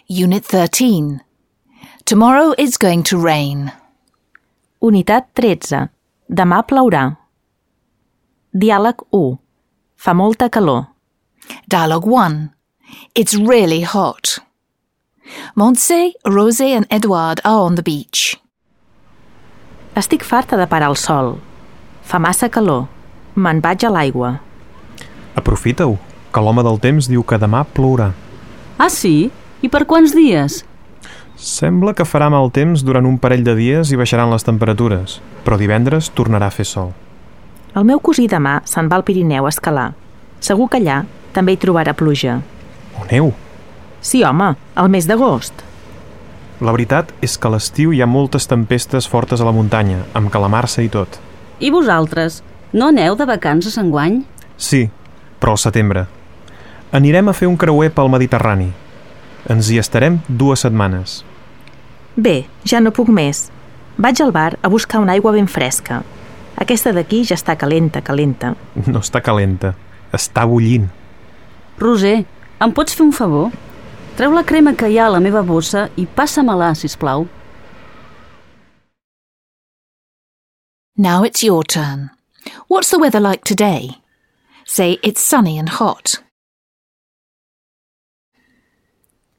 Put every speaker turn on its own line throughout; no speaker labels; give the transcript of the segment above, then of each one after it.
Unit 13. Tomorrow it's going to rain.
Unitat 13. Demà plourà. Diàleg 1. Fa molta calor.
Dialogue 1. It's really hot. Montse, Rosé and Edouard are on the beach.
Estic farta de parar el sol. Fa massa calor. Me'n vaig a l'aigua.
Aprofita-ho, que l'home del temps diu que demà plourà.
Ah, sí? I per quants dies?
Sembla que farà mal temps durant un parell de dies i baixaran les temperatures, però divendres tornarà a fer sol.
El meu cosí demà se'n va al Pirineu a escalar. Segur que allà també hi trobarà pluja.
O neu!
Sí, home, al mes d'agost.
La veritat és que a l'estiu hi ha moltes tempestes fortes a la muntanya, amb calamarsa i tot.
I vosaltres? No aneu de vacances enguany?
Sí, però al setembre. Anirem a fer un creuer pel Mediterrani. Ens hi estarem 2 setmanes.
Bé, ja no puc més. Vaig al bar a buscar una aigua ben fresca. Aquesta d'aquí ja està calenta.
No està calenta, està bullint.
Roser, em pots fer un favor? Treu la crema que hi ha a la meva bossa i passa-me-la, sisplau.
Now it's your turn. What's the weather like today? Say it's sunny and hot.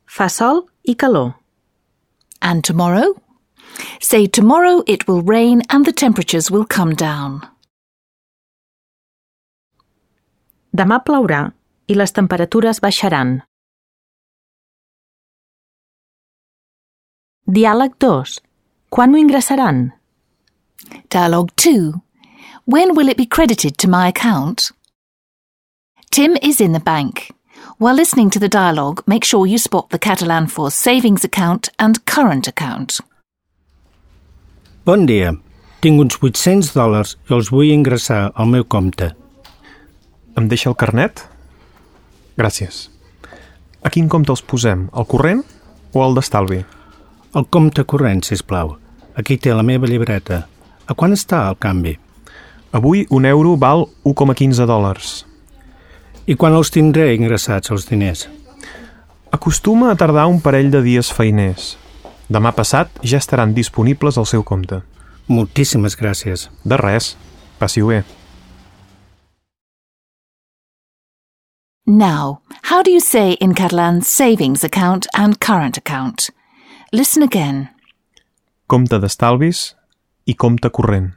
Fa sol i calor.
And tomorrow? Say tomorrow it will rain and the temperatures will come down.
Demà plourà i les temperatures baixaran. Diàleg 2. Quan m'ho ingressaran?
Dialogue 2. When will it be credited to my account? Tim is in the bank. While listening to the dialogue, make sure you spot the Catalan for savings account and current account.
Bon dia. Tinc uns $800 i els vull ingressar al meu compte.
Em deixa el carnet? Gràcies. A quin compte els posem? El corrent o el d'estalvi?
El compte corrent, sisplau. Aquí té la meva llibreta. A quant està el canvi?
Avui €1 val $1,15.
I quan els tindré ingressats, els diners?
Acostuma a tardar un parell de dies feiners. Demà passat ja estaran disponibles al seu compte.
Moltíssimes gràcies.
De res. Passi-ho bé.
Now, how do you say in Catalan savings account and current account? Listen again.
Compte d'estalvis i compte corrent.